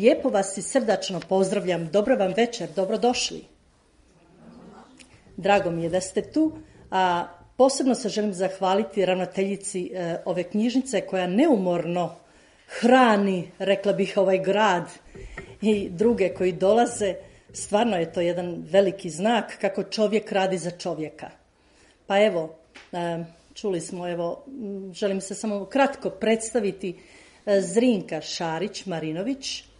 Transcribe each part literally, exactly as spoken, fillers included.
Lijepo vas i srdačno pozdravljam. Dobro vam večer, dobrodošli. Drago mi je da ste tu, a posebno se želim zahvaliti ravnateljici e, ove knjižnice koja neumorno hrani, rekla bih, ovaj grad i druge koji dolaze. Stvarno je to jedan veliki znak kako čovjek radi za čovjeka. Pa evo, e, čuli smo, evo, želim se samo kratko predstaviti. e, Zrinka Šarić-Marinović,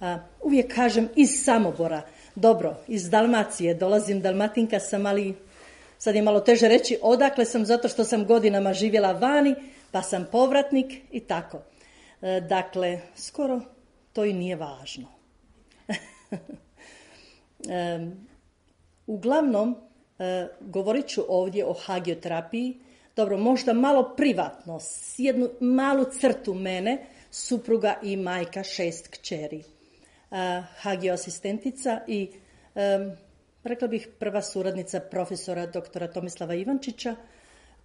a, uvijek kažem iz Samobora. Dobro, iz Dalmacije dolazim, Dalmatinka sam, ali sad je malo teže reći odakle sam, zato što sam godinama živjela vani, pa sam povratnik i tako. E, dakle, skoro to i nije važno. e, uglavnom, e, govorit ću ovdje o hagioterapiji. Dobro, možda malo privatno, s jednu malu crtu mene, supruga i majka šest kćeri. Uh, hagio asistentica i um, rekla bih prva suradnica profesora doktora Tomislava Ivančića,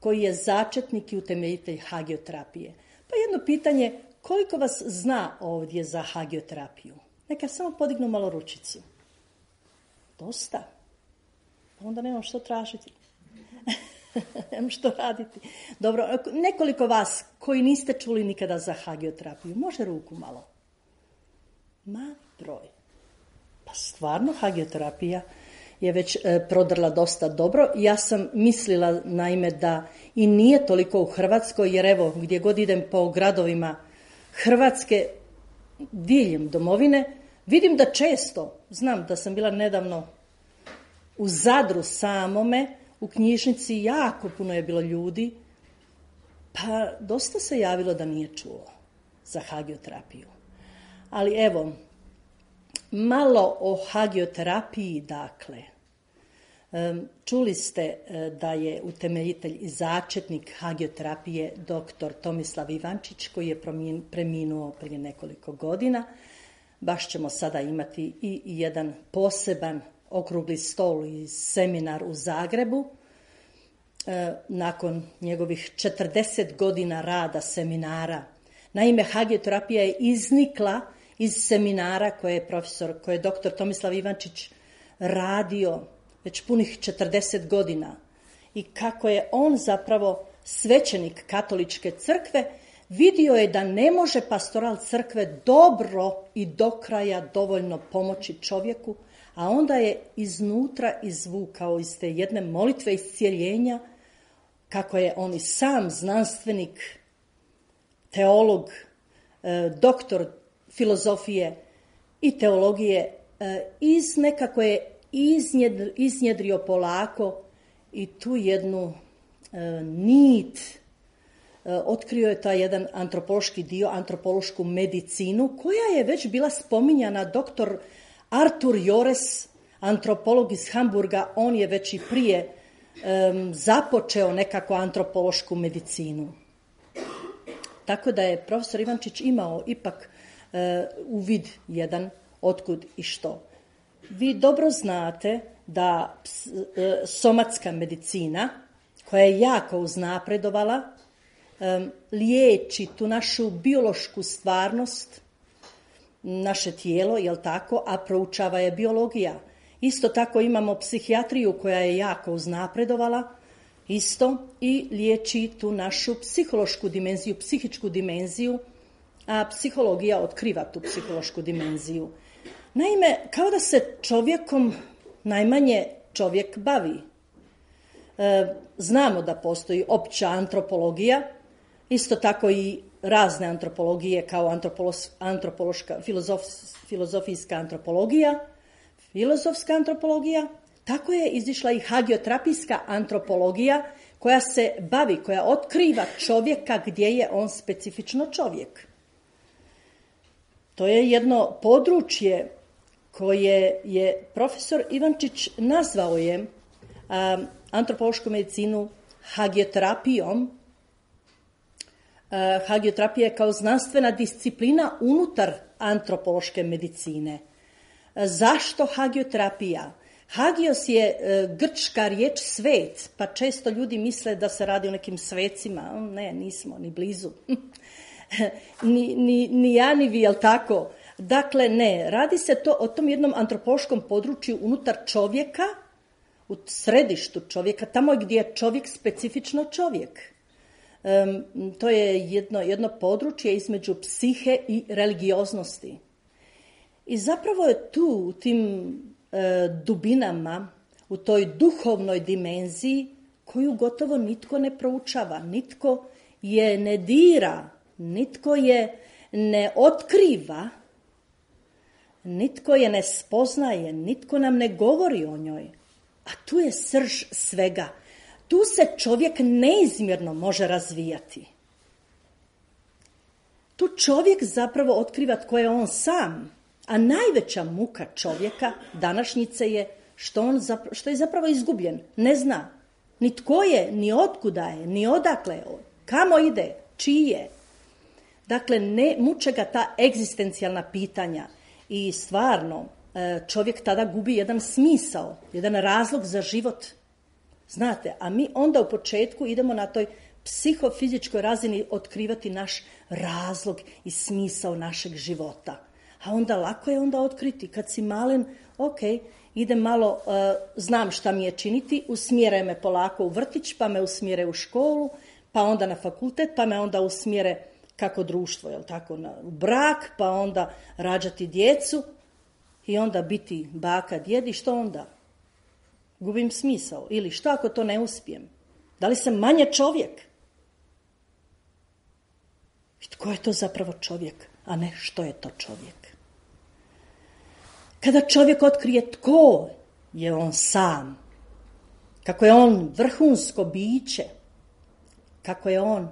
koji je začetnik i utemeljitelj hagioterapije. Pa jedno pitanje, koliko vas zna ovdje za hagioterapiju? Neka samo podignu malo ručicu. Dosta. Onda nemam što tražiti. Nemam što raditi. Dobro, nekoliko vas koji niste čuli nikada za hagioterapiju, može ruku malo? Mali broj. Pa stvarno hagioterapija je već e, prodrla dosta dobro. Ja sam mislila naime da i nije toliko u Hrvatskoj, jer evo gdje god idem po gradovima Hrvatske, diljem domovine, vidim da često, znam da sam bila nedavno u Zadru samome, u knjižnici jako puno je bilo ljudi, pa dosta se javilo da nije čulo za hagioterapiju. Ali evo, malo o hagioterapiji, dakle. Čuli ste da je utemeljitelj i začetnik hagioterapije doktor Tomislav Ivančić, koji je preminuo prije nekoliko godina. Baš ćemo sada imati i jedan poseban okrugli stol i seminar u Zagrebu. Nakon njegovih četrdeset godina rada seminara. Naime, hagioterapija je iznikla iz seminara koje je profesor, koje je doktor Tomislav Ivančić radio već punih četrdeset godina. I kako je on zapravo svećenik katoličke crkve, vidio je da ne može pastoral crkve dobro i do kraja dovoljno pomoći čovjeku, a onda je iznutra izvukao iz te jedne molitve iscijeljenja, kako je on i sam znanstvenik, teolog, doktor filozofije i teologije, iz nekako je iznjedrio polako i tu jednu nit, otkrio je taj jedan antropološki dio, antropološku medicinu, koja je već bila spominjana. Doktor Artur Jores, antropolog iz Hamburga, on je već i prije um, započeo nekako antropološku medicinu. Tako da je profesor Ivančić imao ipak uh, uvid jedan otkud i što. Vi dobro znate da ps, uh, somatska medicina, koja je jako uznapredovala, um, liječi tu našu biološku stvarnost, naše tijelo, jel tako, a proučava je biologija. Isto tako imamo psihijatriju koja je jako uznapredovala, isto, i liječi tu našu psihološku dimenziju, psihičku dimenziju, a psihologija otkriva tu psihološku dimenziju. Naime, kao da se čovjekom najmanje čovjek bavi. E, znamo da postoji opća antropologija, isto tako i razne antropologije kao antropološ, antropološka, filozof, filozofijska antropologija, filozofska antropologija, tako je izišla i hagioterapijska antropologija koja se bavi, koja otkriva čovjeka gdje je on specifično čovjek. To je jedno područje koje je profesor Ivančić nazvao je um, antropološku medicinu hagioterapijom. Uh, hagioterapija je kao znanstvena disciplina unutar antropološke medicine. Uh, zašto hagioterapija? Hagios je uh, grčka riječ svet, pa često ljudi misle da se radi o nekim svecima. Ne, nismo, ni blizu. ni, ni, ni ja, ni vi, jel tako? Dakle, ne, radi se to o tom jednom antropološkom području unutar čovjeka, u središtu čovjeka, tamo gdje je čovjek specifično čovjek. Um, to je jedno, jedno područje između psihe i religioznosti. I zapravo je tu, u tim e, dubinama, u toj duhovnoj dimenziji, koju gotovo nitko ne proučava, nitko je ne dira, nitko je ne otkriva, nitko je ne spoznaje, nitko nam ne govori o njoj. A tu je srž svega. Tu se čovjek neizmjerno može razvijati. Tu čovjek zapravo otkriva tko je on sam, a najveća muka čovjeka današnjice je što, on zapravo, što je zapravo izgubljen, ne zna. Ni tko je, ni otkuda je, ni odakle je, kamo ide, čiji je. Dakle, ne muče ga ta egzistencijalna pitanja i stvarno čovjek tada gubi jedan smisao, jedan razlog za život. Znate, a mi onda u početku idemo na toj psihofizičkoj razini otkrivati naš razlog i smisao našeg života. A onda lako je onda otkriti. Kad si malen, ok, idem malo, uh, znam šta mi je činiti, usmjere me polako u vrtić, pa me usmjere u školu, pa onda na fakultet, pa me onda usmjere kako društvo, jel tako, na brak, pa onda rađati djecu i onda biti baka, djed i što onda? Gubim smisao. Ili što ako to ne uspijem? Da li sam manje čovjek? I tko je to zapravo čovjek, a ne što je to čovjek? Kada čovjek otkrije tko je on sam, kako je on vrhunsko biće, kako je on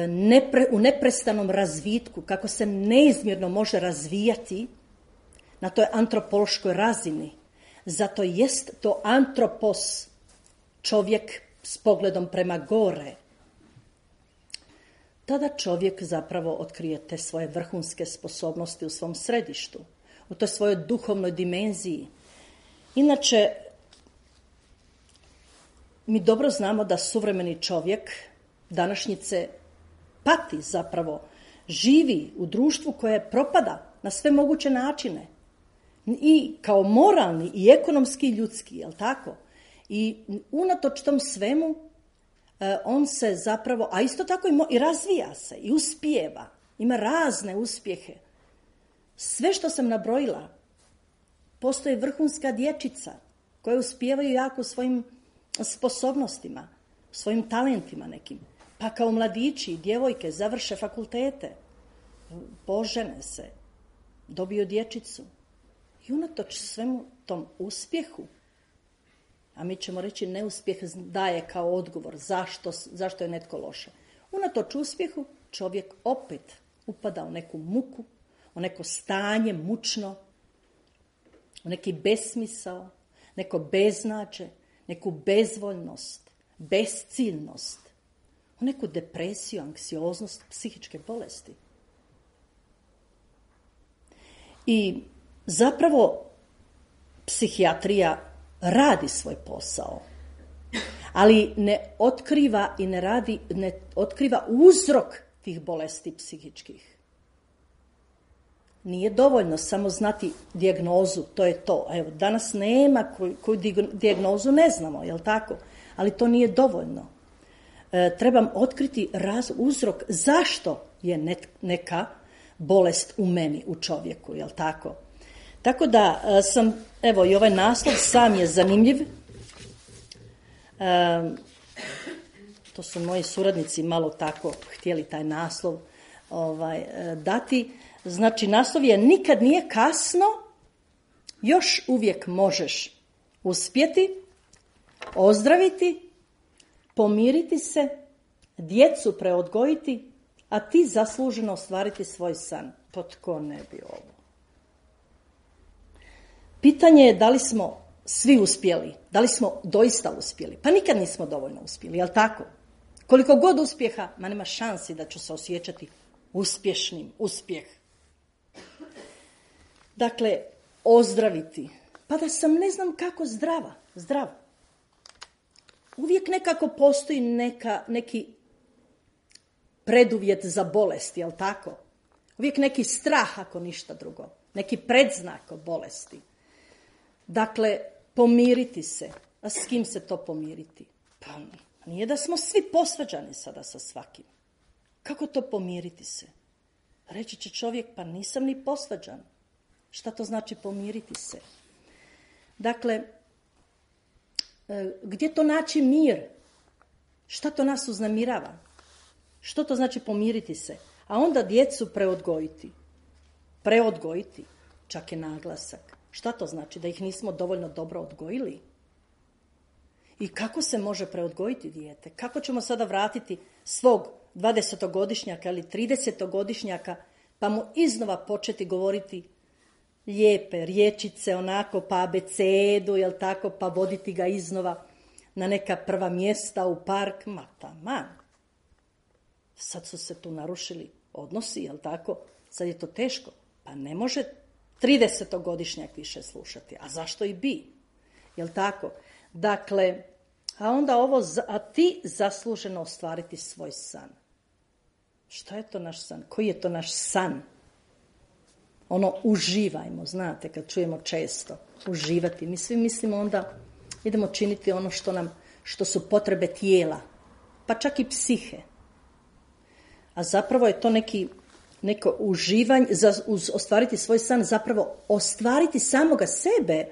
nepre, u neprestanom razvitku, kako se neizmjerno može razvijati na toj antropološkoj razini. Zato jest to antropos, čovjek s pogledom prema gore. Tada čovjek zapravo otkrije te svoje vrhunske sposobnosti u svom središtu, u toj svojoj duhovnoj dimenziji. Inače, mi dobro znamo da suvremeni čovjek današnjice pati zapravo, živi u društvu koje propada na sve moguće načine. I kao moralni, i ekonomski, i ljudski, jel tako? I unatoč tom svemu, on se zapravo, a isto tako i, mo, i razvija se, i uspijeva, ima razne uspjehe. Sve što sam nabrojila, postoji vrhunska dječica koje uspijevaju jako svojim sposobnostima, svojim talentima nekim. Pa kao mladići i djevojke završe fakultete, požene se, dobiju dječicu. I unatoč svemu tom uspjehu, a mi ćemo reći neuspjeh daje kao odgovor zašto, zašto je netko loše. Unatoč uspjehu čovjek opet upada u neku muku, u neko stanje mučno, u neki besmisao, neko beznađe, neku bezvoljnost, besciljnost, u neku depresiju, anksioznost, psihičke bolesti. I zapravo psihijatrija radi svoj posao, ali ne otkriva i ne radi, ne otkriva uzrok tih bolesti psihičkih. Nije dovoljno samo znati dijagnozu, to je to. Evo, danas nema koju, koju dijagnozu ne znamo, jel tako? Ali to nije dovoljno. E, trebam otkriti raz, uzrok zašto je net, neka bolest u meni, u čovjeku, jel tako? Tako da sam, evo i ovaj naslov sam je zanimljiv. E, to su moji suradnici malo tako htjeli taj naslov ovaj, dati. Znači, naslov je nikad nije kasno, još uvijek možeš uspjeti, ozdraviti, pomiriti se, djecu preodgojiti, a ti zasluženo ostvariti svoj san. Pa tko ne bi ovo? Pitanje je da li smo svi uspjeli, da li smo doista uspjeli. Pa nikad nismo dovoljno uspjeli, jel tako? Koliko god uspjeha, ma nema šansi da ću se osjećati uspješnim, uspjeh. Dakle, ozdraviti. Pa da sam ne znam kako zdrava, zdrava. Uvijek nekako postoji neka, neki preduvjet za bolest, jel tako? Uvijek neki strah ako ništa drugo. Neki predznak o bolesti. Dakle, pomiriti se. A s kim se to pomiriti? Pa nije da smo svi posvađani sada sa svakim. Kako to pomiriti se? Reći će čovjek, pa nisam ni posvađan. Šta to znači pomiriti se? Dakle, gdje to naći mir? Šta to nas uznemirava? Što to znači pomiriti se? A onda djecu preodgojiti. Preodgojiti, čak je naglasak. Šta to znači? Da ih nismo dovoljno dobro odgojili? I kako se može preodgojiti dijete? Kako ćemo sada vratiti svog dvadesetogodišnjaka ili tridesetogodišnjaka pa mu iznova početi govoriti lijepe riječice, onako pa abecedu, jel tako, pa voditi ga iznova na neka prva mjesta u park? Ma taman. Sad su se tu narušili odnosi, jel tako? Sad je to teško. Pa ne može tridesetogodišnjak više slušati. A zašto i bi? Jel tako? Dakle, a onda ovo, a ti zasluženo ostvariti svoj san. Šta je to naš san? Koji je to naš san? Ono, uživajmo, znate, kad čujemo često, uživati. Mi svi mislimo onda, idemo činiti ono što nam, što su potrebe tijela, pa čak i psihe. A zapravo je to neki, neko uživanje, za, uz ostvariti svoj san, zapravo ostvariti samoga sebe,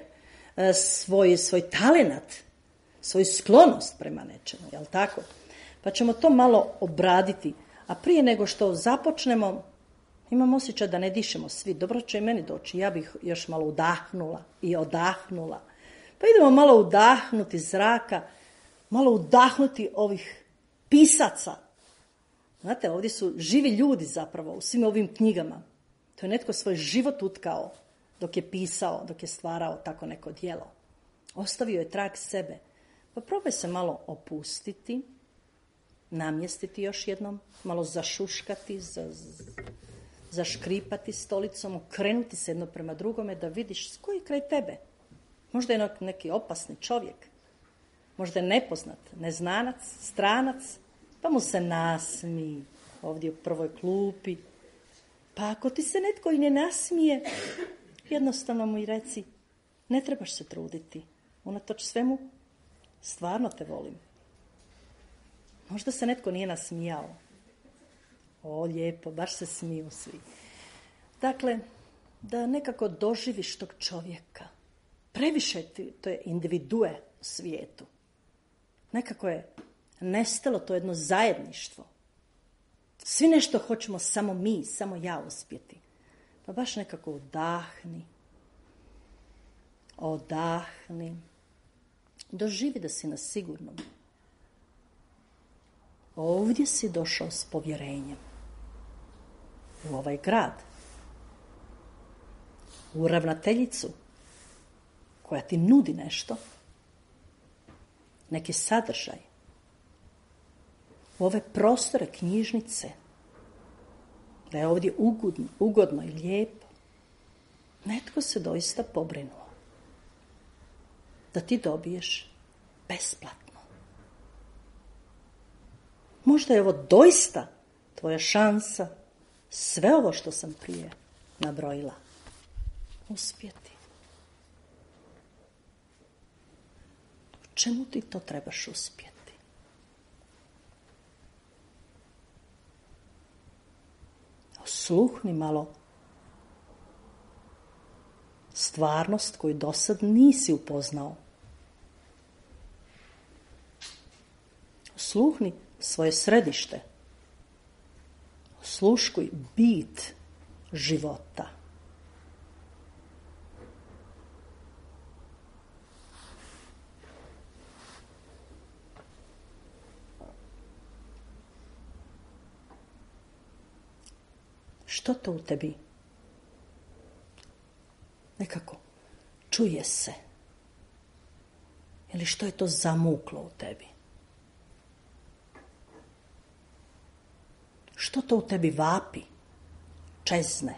svoj, svoj talenat, svoju sklonost prema nečemu, jel tako? Pa ćemo to malo obraditi. A prije nego što započnemo, imam osjećaj da ne dišemo svi. Dobro će i meni doći. Ja bih još malo udahnula i odahnula. Pa idemo malo udahnuti zraka, malo udahnuti ovih pisaca. Znate, ovdje su živi ljudi zapravo u svim ovim knjigama. To je netko svoj život utkao dok je pisao, dok je stvarao tako neko djelo. Ostavio je trag sebe. Pa probaj se malo opustiti, namjestiti još jednom, malo zašuškati, za, zaškripati stolicom, okrenuti se jedno prema drugome da vidiš koji je kraj tebe. Možda je neki opasni čovjek, možda je nepoznat, neznanac, stranac, pa mu se nasmiji ovdje u prvoj klupi. Pa ako ti se netko i ne nasmije, jednostavno mu i reci, ne trebaš se truditi, unatoč svemu, stvarno te volim. Možda se netko nije nasmijao. O, lijepo, baš se smiju svi. Dakle, da nekako doživiš tog čovjeka. Previše ti, to je individue u svijetu. Nekako je nestalo to jedno zajedništvo. Svi nešto hoćemo samo mi, samo ja uspjeti. Pa baš nekako odahni. Odahni. Doživi da si na sigurnom. Ovdje si došao s povjerenjem. U ovaj grad. U ravnateljicu koja ti nudi nešto. Neki sadržaj. U ove prostore knjižnice. Da je ovdje ugodno, ugodno i lijepo. Netko se doista pobrinuo. Da ti dobiješ besplatno. Možda je ovo doista tvoja šansa, sve ovo što sam prije nabrojila, uspjeti. U čemu ti to trebaš uspjeti? Osluhni malo stvarnost koju do sad nisi upoznao. Osluhni svoje središte. Osluškuj bit života. Što to u tebi? Nekako čuje se. Ili što je to zamuklo u tebi? Što to u tebi vapi, čezne?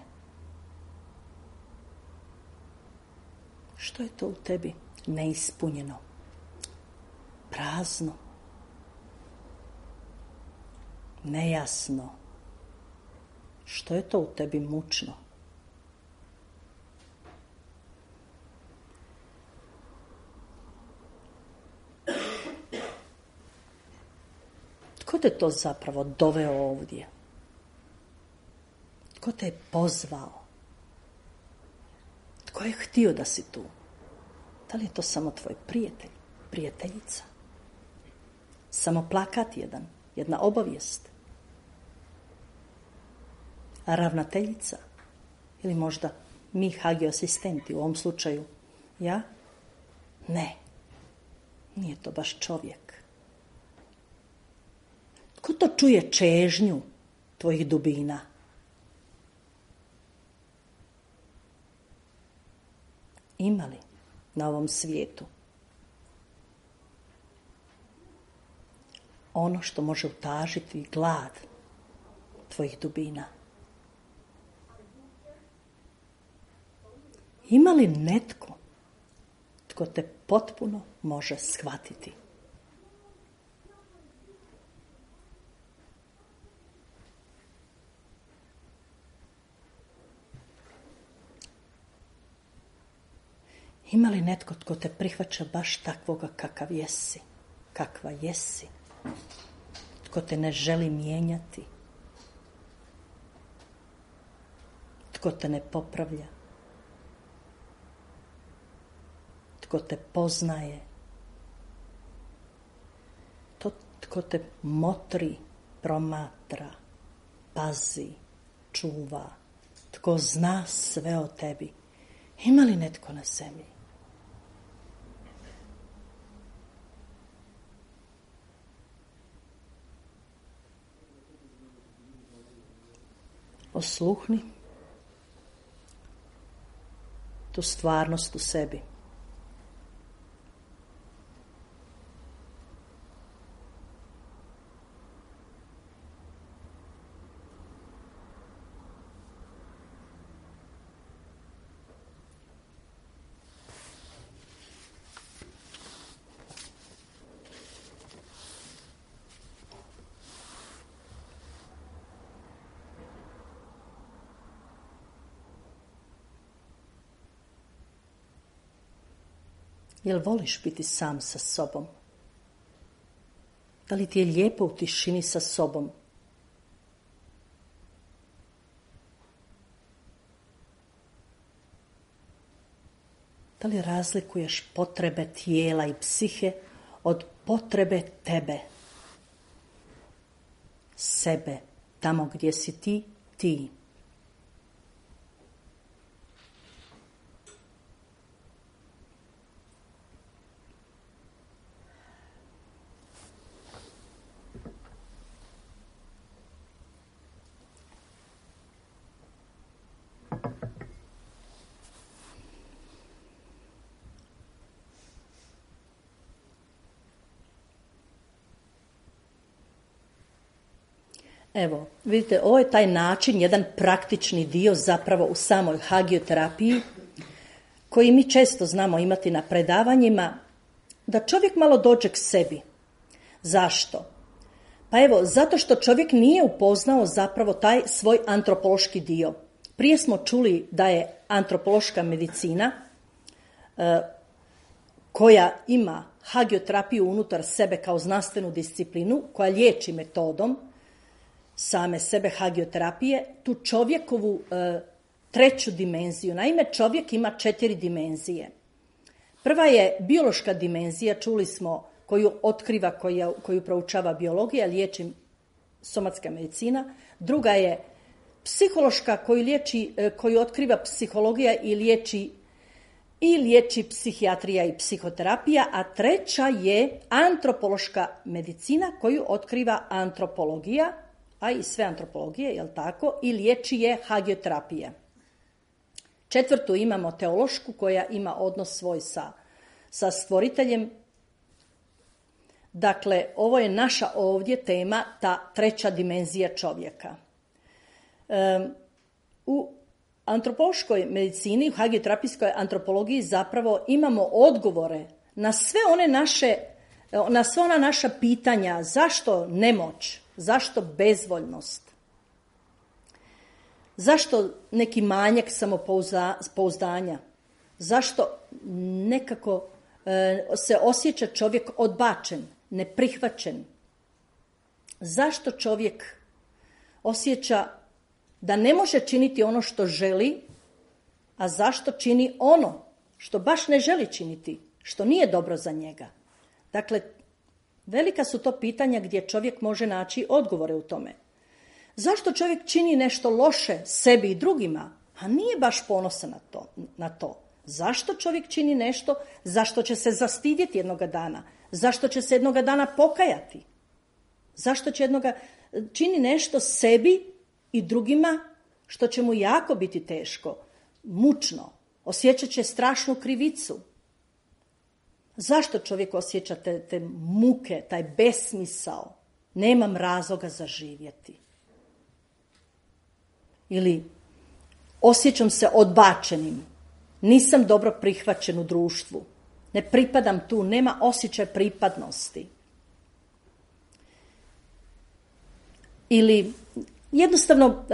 Što je to u tebi neispunjeno, prazno, nejasno? Što je to u tebi mučno? Tko te to zapravo doveo ovdje? Tko te je pozvao? Tko je htio da si tu? Da li je to samo tvoj prijatelj, prijateljica? Samo plakat jedan, jedna obavijest? A ravnateljica? Ili možda mi hagio asistenti u ovom slučaju? Ja? Ne. Nije to baš čovjek. Tko to čuje čežnju tvojih dubina? Ima li na ovom svijetu ono što može utažiti glad tvojih dubina? Ima li netko tko te potpuno može shvatiti? Ima li netko tko te prihvaća baš takvoga kakav jesi, kakva jesi, tko te ne želi mijenjati, tko te ne popravlja, tko te poznaje, to tko te motri, promatra, pazi, čuva, tko zna sve o tebi? Ima li netko na zemlji? Osluhni tu stvarnost u sebi. Jel voliš biti sam sa sobom? Da li ti je lijepo u tišini sa sobom? Da li razlikuješ potrebe tijela i psihe od potrebe tebe? Sebe, tamo gdje si ti, ti. Evo, vidite, ovo je taj način, jedan praktični dio zapravo u samoj hagioterapiji, koji mi često znamo imati na predavanjima, da čovjek malo dođe k sebi. Zašto? Pa evo, zato što čovjek nije upoznao zapravo taj svoj antropološki dio. Prije smo čuli da je antropološka medicina, e, koja ima hagioterapiju unutar sebe kao znanstvenu disciplinu, koja liječi metodom same sebe hagioterapije, tu čovjekovu e, treću dimenziju. Naime, čovjek ima četiri dimenzije. Prva je biološka dimenzija, čuli smo, koju otkriva, koju, koju proučava biologija, liječi somatska medicina. Druga je psihološka, koju, liječi, koju otkriva psihologija i liječi, i liječi psihijatrija i psihoterapija, a treća je antropološka medicina koju otkriva antropologija, a i sve antropologije, jel tako, i liječi je hagioterapija. Četvrtu imamo teološku, koja ima odnos svoj sa, sa stvoriteljem. Dakle, ovo je naša ovdje tema, ta treća dimenzija čovjeka. Um, u antropološkoj medicini, u hagioterapijskoj antropologiji zapravo imamo odgovore na sve one naše, na sve ona naša pitanja, zašto nemoć, zašto bezvoljnost. Zašto neki manjak samopouzdanja? Zašto nekako e, se osjeća čovjek odbačen, neprihvaćen? Zašto čovjek osjeća da ne može činiti ono što želi, a zašto čini ono što baš ne želi činiti, što nije dobro za njega? Dakle, velika su to pitanja gdje čovjek može naći odgovore u tome. Zašto čovjek čini nešto loše sebi i drugima, a nije baš ponosan na to? Na to? Zašto čovjek čini nešto, zašto će se zastidjeti jednoga dana? Zašto će se jednoga dana pokajati? Zašto će jednoga čini nešto sebi i drugima što će mu jako biti teško, mučno, osjećat će strašnu krivicu? Zašto čovjek osjeća te, te muke, taj besmisao? Nemam razloga za živjeti. Ili osjećam se odbačenim, nisam dobro prihvaćen u društvu, ne pripadam tu, nema osjećaj pripadnosti. Ili jednostavno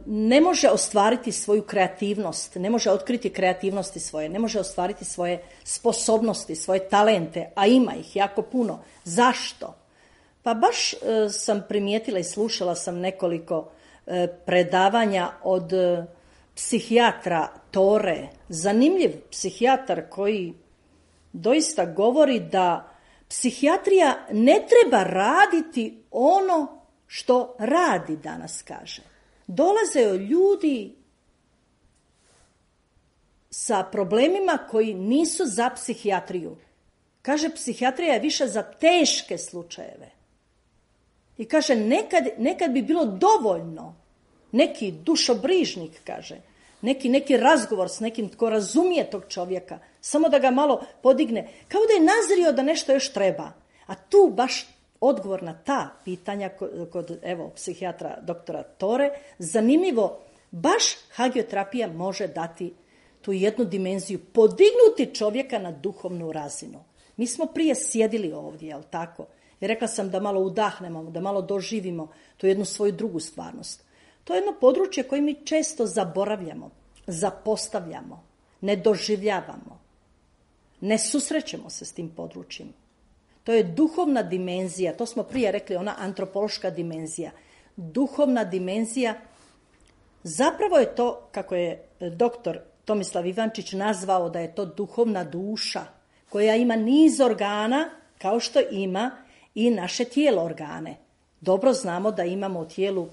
ne može ostvariti svoju kreativnost, ne može otkriti kreativnosti svoje, ne može ostvariti svoje sposobnosti, svoje talente, a ima ih jako puno. Zašto? Pa baš sam primijetila i slušala sam nekoliko predavanja od psihijatra Tore. Zanimljiv psihijatar koji doista govori da psihijatrija ne treba raditi ono što radi danas, kaže. Dolaze ljudi sa problemima koji nisu za psihijatriju. Kaže, psihijatrija je više za teške slučajeve. I kaže, nekad, nekad bi bilo dovoljno neki dušobrižnik, kaže, neki, neki razgovor s nekim tko razumije tog čovjeka, samo da ga malo podigne, kao da je nazrio da nešto još treba. A tu baš odgovor na ta pitanja kod, kod evo, psihijatra doktora Tore, zanimljivo, baš hagioterapija može dati tu jednu dimenziju, podignuti čovjeka na duhovnu razinu. Mi smo prije sjedili ovdje, jel tako? I rekla sam da malo udahnemo, da malo doživimo tu jednu svoju drugu stvarnost. To je jedno područje koje mi često zaboravljamo, zapostavljamo, ne doživljavamo. Ne susrećemo se s tim područjem. To je duhovna dimenzija, to smo prije rekli, ona antropološka dimenzija. Duhovna dimenzija, zapravo je to, kako je doktor Tomislav Ivančić nazvao, da je to duhovna duša, koja ima niz organa, kao što ima i naše tijelo organe. Dobro znamo da imamo u tijelu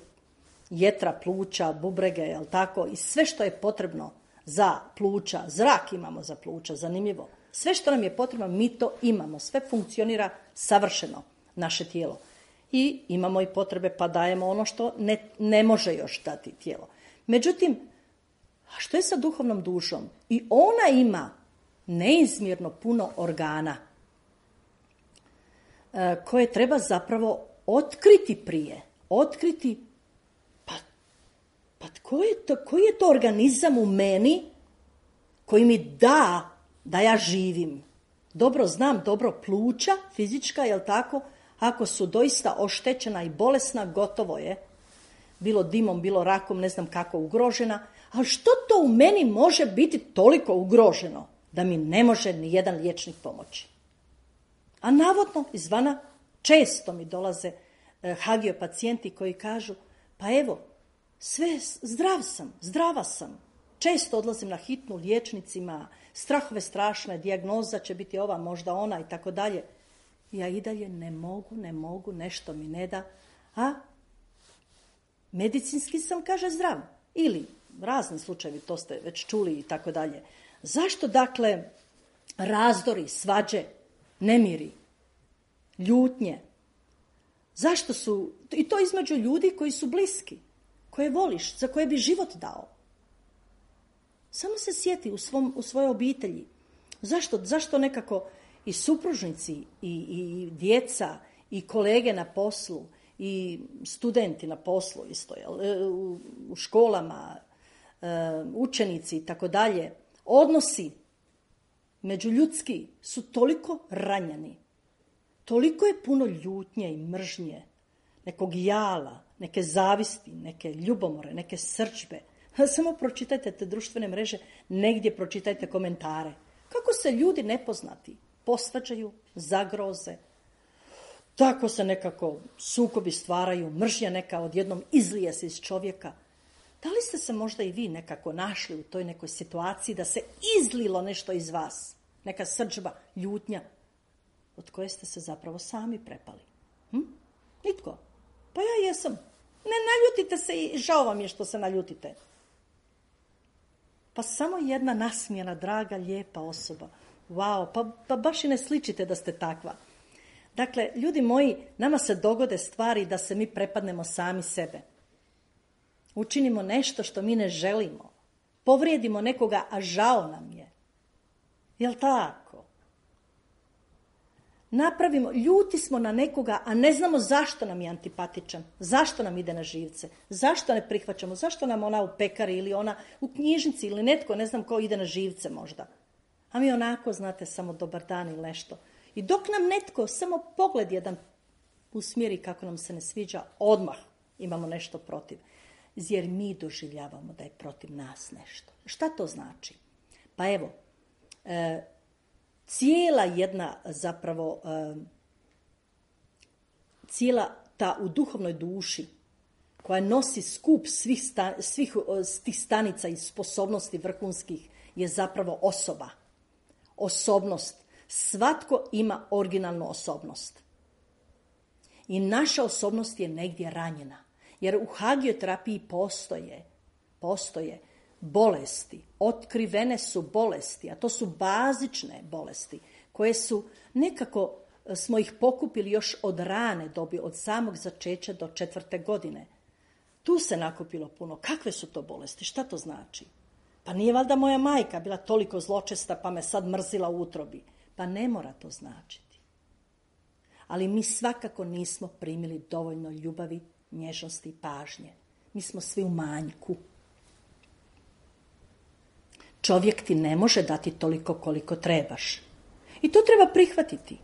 jetra, pluća, bubrege, jel tako, i sve što je potrebno za pluća, zrak imamo za pluća, zanimljivo. Sve što nam je potrebno, mi to imamo, sve funkcionira savršeno, naše tijelo. I imamo i potrebe, pa dajemo ono što ne, ne može još dati tijelo. Međutim, a što je sa duhovnom dušom? I ona ima neizmjerno puno organa koje treba zapravo otkriti prije. Otkriti, pa, pa koji je to, koji je to organizam u meni koji mi da da ja živim. Dobro znam, dobro pluća, fizička, jel tako? Ako su doista oštećena i bolesna, gotovo je. Bilo dimom, bilo rakom, ne znam kako ugrožena. Ali što to u meni može biti toliko ugroženo da mi ne može ni jedan liječnik pomoći? A navodno, izvana, često mi dolaze eh, hagio pacijenti koji kažu, pa evo, sve zdrav sam, zdrava sam. Često odlazim na hitnu liječnicima, strahove strašne, dijagnoza će biti ova, možda ona i tako dalje. Ja i dalje ne mogu, ne mogu, nešto mi ne da. A medicinski sam, kaže, zdrav. Ili razni slučajevi, to ste već čuli i tako dalje. Zašto, dakle, razdori, svađe, nemiri, ljutnje? Zašto su, i to između ljudi koji su bliski, koje voliš, za koje bi život dao? Samo se sjeti u, svom, u svojoj obitelji. Zašto, zašto nekako i supružnici, i, i djeca, i kolege na poslu, i studenti na poslu isto, jel? U, u školama, učenici i tako dalje, odnosi međuljudski su toliko ranjani, toliko je puno ljutnje i mržnje, nekog jala, neke zavisti, neke ljubomore, neke srdžbe, Samo pročitajte te društvene mreže, negdje pročitajte komentare. Kako se ljudi nepoznati posvađaju, zagroze, tako se nekako sukobi stvaraju, mržnja neka odjednom izlije se iz čovjeka. Da li ste se možda i vi nekako našli u toj nekoj situaciji da se izlilo nešto iz vas? Neka srdžba, ljutnja, od koje ste se zapravo sami prepali. Hm? Nitko. Pa ja jesam. Ne naljutite se i žao vam je što se naljutite. Pa samo jedna nasmijena, draga, lijepa osoba. Wow, pa, pa baš i ne sličite da ste takva. Dakle, ljudi moji, nama se dogode stvari da se mi prepadnemo sami sebe. Učinimo nešto što mi ne želimo. Povrijedimo nekoga, a žao nam je. Jel' tako? Napravimo, ljuti smo na nekoga, a ne znamo zašto nam je antipatičan, zašto nam ide na živce, zašto ne prihvaćamo, zašto nam ona u pekari ili ona u knjižnici ili netko, ne znam ko, ide na živce možda. A mi onako, znate, samo dobar dan ili nešto. I dok nam netko samo pogled jedan usmjeri kako nam se ne sviđa, odmah imamo nešto protiv. Jer mi doživljavamo da je protiv nas nešto. Šta to znači? Pa evo, e, cijela jedna zapravo, e, cijela ta u duhovnoj duši koja nosi skup svih, sta, svih tih stanica i sposobnosti vrhunskih je zapravo osoba. Osobnost. Svatko ima originalnu osobnost. I naša osobnost je negdje ranjena. Jer u hagioterapiji postoje, postoje bolesti, otkrivene su bolesti, a to su bazične bolesti, koje su nekako, smo ih pokupili još od rane dobi, od samog začeća do četvrte godine. Tu se nakupilo puno. Kakve su to bolesti? Šta to znači? Pa nije valjda moja majka bila toliko zločesta pa me sad mrzila u utrobi. Pa ne mora to značiti. Ali mi svakako nismo primili dovoljno ljubavi, nježnosti i pažnje. Mi smo svi u manjku. Čovjek ti ne može dati toliko koliko trebaš. I to treba prihvatiti.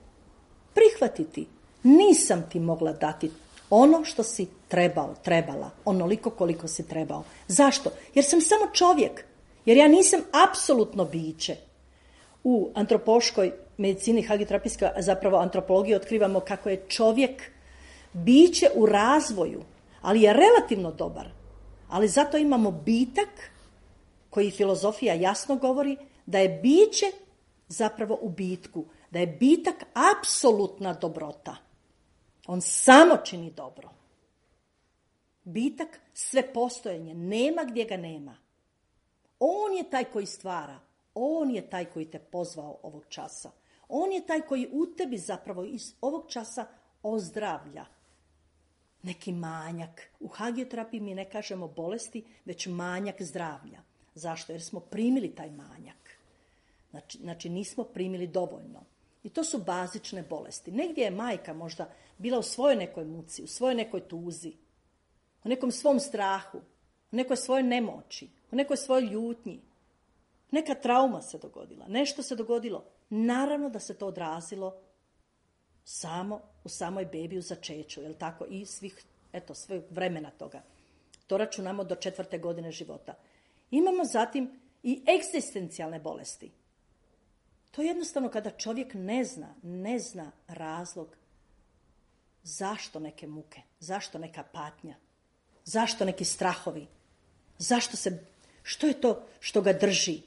Prihvatiti. Nisam ti mogla dati ono što si trebao, trebala. Onoliko koliko si trebao. Zašto? Jer sam samo čovjek. Jer ja nisam apsolutno biće. U antropološkoj medicini, hagioterapijskoj, zapravo antropologiji, otkrivamo kako je čovjek biće u razvoju, ali je relativno dobar. Ali zato imamo bitak, koji filozofija jasno govori, da je biće zapravo u bitku, da je bitak apsolutna dobrota. On samo čini dobro. Bitak sve postojanje, nema gdje ga nema. On je taj koji stvara, on je taj koji te pozvao ovog časa. On je taj koji u tebi zapravo iz ovog časa ozdravlja neki manjak. U hagioterapiji mi ne kažemo bolesti, već manjak zdravlja. Zašto? Jer smo primili taj manjak. Znači, znači nismo primili dovoljno. I to su bazične bolesti. Negdje je majka možda bila u svojoj nekoj muci, u svojoj nekoj tuzi, u nekom svom strahu, u nekoj svojoj nemoći, u nekoj svojoj ljutnji. Neka trauma se dogodila, nešto se dogodilo. Naravno da se to odrazilo samo u samoj bebi u začeću, jel tako, i svih, eto, sve vremena toga. To računamo do četvrte godine života. Imamo zatim i egzistencijalne bolesti. To je jednostavno kada čovjek ne zna, ne zna razlog zašto neke muke, zašto neka patnja, zašto neki strahovi, zašto se, što je to što ga drži.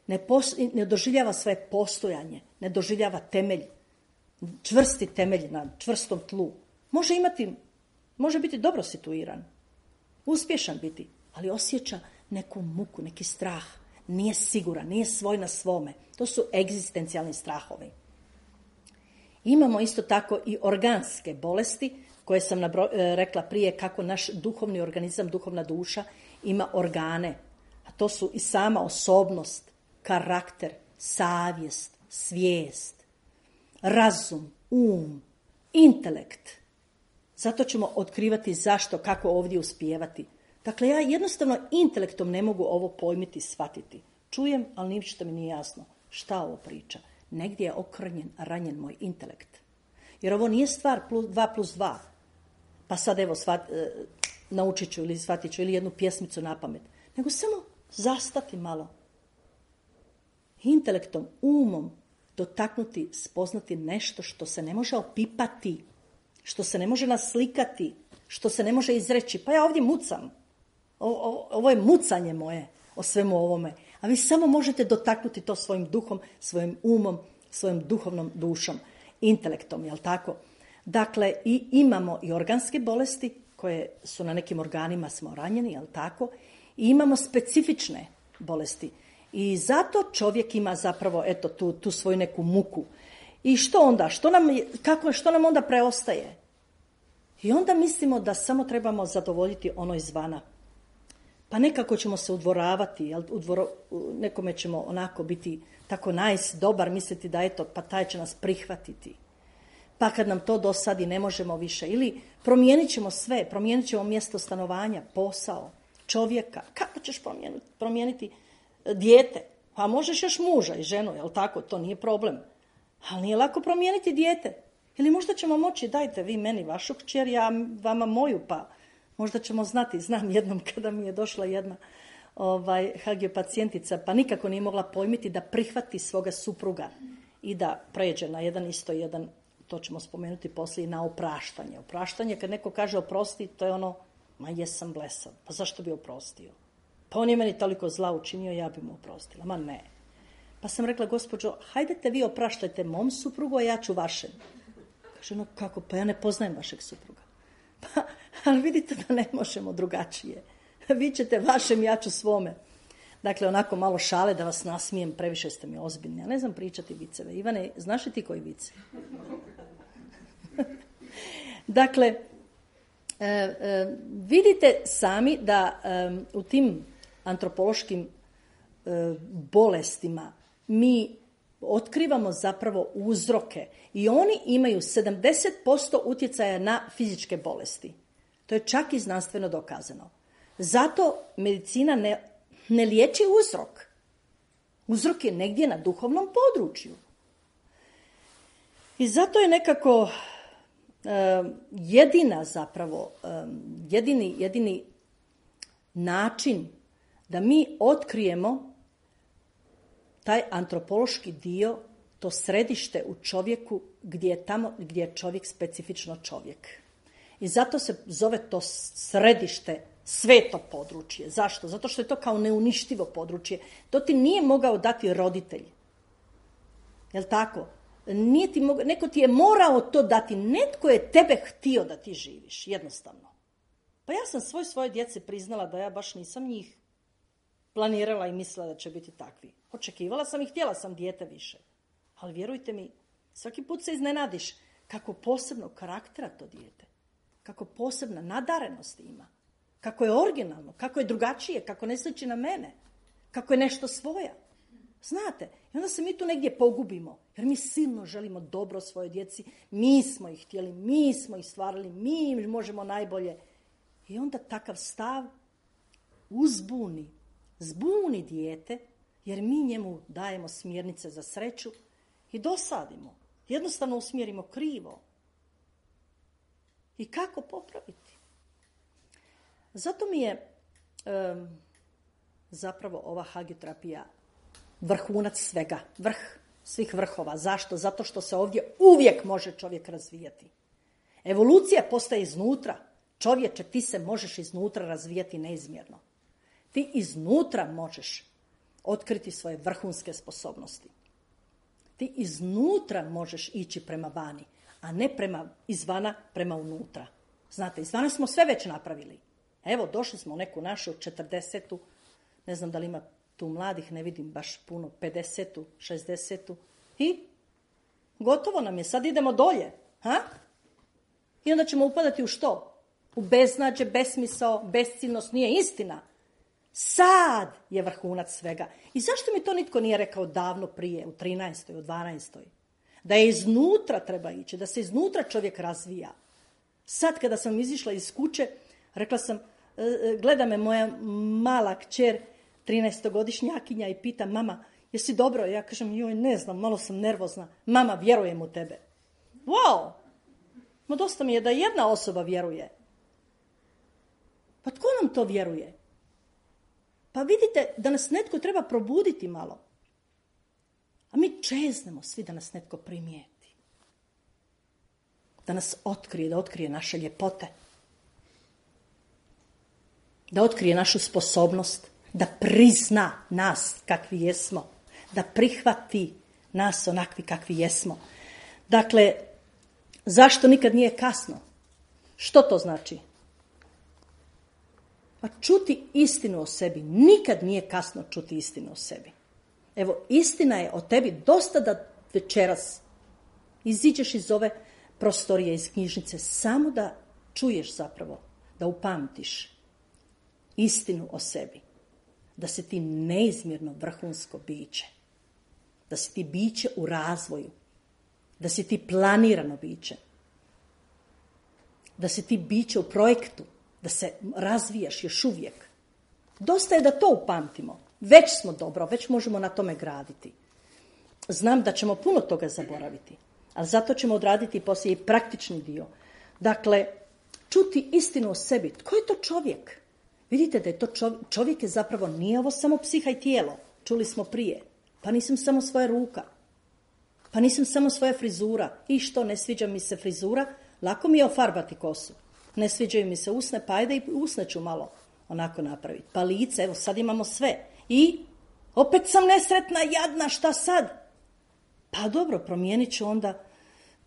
Ne, pos, ne doživljava svoje postojanje, ne doživljava temelj, čvrsti temelj na čvrstom tlu. Može imati, može biti dobro situiran, uspješan biti, ali osjeća neku muku, neki strah. Nije siguran, nije svoj na svome. To su egzistencijalni strahovi. Imamo isto tako i organske bolesti, koje sam nabro, rekla prije, kako naš duhovni organizam, duhovna duša ima organe. A to su i sama osobnost, karakter, savjest, svijest, razum, um, intelekt. Zato ćemo otkrivati zašto, kako ovdje uspijevati. Dakle, ja jednostavno intelektom ne mogu ovo pojmiti, shvatiti. Čujem, ali ništa mi nije jasno. Šta ovo priča? Negdje je okrnjen, ranjen moj intelekt. Jer ovo nije stvar plus, dva plus dva. Pa sad evo, svat, naučit ću ili shvatit ću ili jednu pjesmicu na pamet, nego samo zastati malo. Intelektom, umom, dotaknuti, spoznati nešto što se ne može opipati, što se ne može naslikati, što se ne može izreći. Pa ja ovdje mucam. O, o, ovo je mucanje moje o svemu ovome. A vi samo možete dotaknuti to svojim duhom, svojim umom, svojom duhovnom dušom, intelektom, jel tako? Dakle, i imamo i organske bolesti koje su na nekim organima smo ranjeni, jel tako? I imamo specifične bolesti. I zato čovjek ima zapravo eto tu, tu svoju neku muku. I što onda? Što nam, kako, što nam onda preostaje? I onda mislimo da samo trebamo zadovoljiti ono izvana. Pa nekako ćemo se udvoravati, jel? Udvoro, nekome ćemo onako biti tako nice, dobar, misliti da eto, pa taj će nas prihvatiti. Pa kad nam to dosadi ne možemo više. Ili promijenit ćemo sve, promijenit ćemo mjesto stanovanja, posao, čovjeka. Kako ćeš promijeniti, promijeniti dijete? Pa možeš još muža i ženu, jel tako? To nije problem. Ali nije lako promijeniti dijete. Ili možda ćemo moći, dajte vi meni vašu kćer, ja vama moju, pa možda ćemo znati. Znam jednom kada mi je došla jedna ovaj, hagiopacijentica, pa nikako nije mogla pojmiti da prihvati svoga supruga i da pređe na jedan isto jedan, to ćemo spomenuti poslije, na opraštanje. Opraštanje, kad neko kaže oprosti, to je ono, ma jesam blesav, pa zašto bi oprostio? Pa on je meni toliko zla učinio, ja bi mu oprostila. Ma ne. Pa sam rekla, gospođo, hajdete vi opraštajte mom suprugu, a ja ću vašem. Kaže, no kako, pa ja ne poznajem vašeg supruga. Pa, ali vidite da ne možemo drugačije. Vi ćete vašem, ja ću svome. Dakle, onako malo šale da vas nasmijem, previše ste mi ozbiljni. Ja ne znam pričati viceve. Ivane, znaš li ti koji vice? Dakle, e, e, vidite sami da e, u tim antropološkim e, bolestima mi otkrivamo zapravo uzroke i oni imaju sedamdeset posto utjecaja na fizičke bolesti. To je čak i znanstveno dokazano. Zato medicina ne, ne liječi uzrok. Uzrok je negdje na duhovnom području. I zato je nekako e, jedina zapravo, e, jedini, jedini način da mi otkrijemo taj antropološki dio, to središte u čovjeku gdje je tamo gdje je čovjek specifično čovjek. I zato se zove to središte sveto područje. Zašto? Zato što je to kao neuništivo područje. To ti nije mogao dati roditelj. Jel' tako? Nije ti mogao, neko ti je morao to dati. Netko je tebe htio da ti živiš. Jednostavno. Pa ja sam svoj svoje djece priznala da ja baš nisam njih planirala i mislila da će biti takvi. Očekivala sam i htjela sam dijete više. Ali vjerujte mi, svaki put se iznenadiš kako posebnog karaktera to dijete. Kako posebna nadarenost ima. Kako je originalno, kako je drugačije, kako ne sliči na mene. Kako je nešto svoja. Znate, i onda se mi tu negdje pogubimo. Jer mi silno želimo dobro svojoj djeci. Mi smo ih htjeli, mi smo ih stvarali, mi im možemo najbolje. I onda takav stav uzbuni, zbuni dijete, jer mi njemu dajemo smjernice za sreću i dosadimo. Jednostavno usmjerimo krivo. I kako popraviti? Zato mi je um, zapravo ova hagioterapija vrhunac svega, vrh svih vrhova. Zašto? Zato što se ovdje uvijek može čovjek razvijati. Evolucija postaje iznutra. Čovječe, ti se možeš iznutra razvijati neizmjerno. Ti iznutra možeš otkriti svoje vrhunske sposobnosti. Ti iznutra možeš ići prema vani, a ne prema izvana prema unutra. Znate, izvana smo sve već napravili. Evo, došli smo u neku našu četrdesetu, ne znam da li ima tu mladih, ne vidim baš puno, pedesetu, šezdesetu i gotovo nam je, sad idemo dolje. Ha? I onda ćemo upadati u što? U beznađe, besmisao, besciljnost, nije istina. Sad je vrhunac svega. I zašto mi to nitko nije rekao davno prije, u trinaestoj, u dvanaestoj? Da je iznutra treba ići, da se iznutra čovjek razvija. Sad kada sam izišla iz kuće, rekla sam, gleda me moja mala kćer, trinaestogodišnjakinja i pita, mama, jesi dobro? Ja kažem, joj, ne znam, malo sam nervozna. Mama, vjerujem u tebe. Wow! No dosta mi je da jedna osoba vjeruje. Pa tko nam to vjeruje? Pa vidite da nas netko treba probuditi malo. A mi čeznemo svi da nas netko primijeti. Da nas otkrije, da otkrije naše ljepote. Da otkrije našu sposobnost. Da prizna nas kakvi jesmo. Da prihvati nas onakvi kakvi jesmo. Dakle, zašto nikad nije kasno? Što to znači? Pa čuti istinu o sebi. Nikad nije kasno čuti istinu o sebi. Evo, istina je o tebi dosta da večeras iziđeš iz ove prostorije, iz knjižnice, samo da čuješ zapravo, da upamtiš istinu o sebi. Da si ti neizmjerno vrhunsko biće. Da si ti biće u razvoju. Da si ti planirano biće. Da si ti biće u projektu. Da se razvijaš još uvijek. Dosta je da to upamtimo. Već smo dobro, već možemo na tome graditi. Znam da ćemo puno toga zaboraviti, ali zato ćemo odraditi poslije i praktični dio. Dakle, čuti istinu o sebi. Tko je to čovjek? Vidite da je to čovjek, čovjek je zapravo, nije ovo samo psiha i tijelo. Čuli smo prije. Pa nisam samo svoja ruka. Pa nisam samo svoja frizura. I što, ne sviđa mi se frizura? Lako mi je ofarbati kosu. Ne sviđaju mi se usne, pa ajde i usne ću malo onako napraviti. Pa lice, evo sad imamo sve. I opet sam nesretna, jadna, šta sad? Pa dobro, promijenit ću onda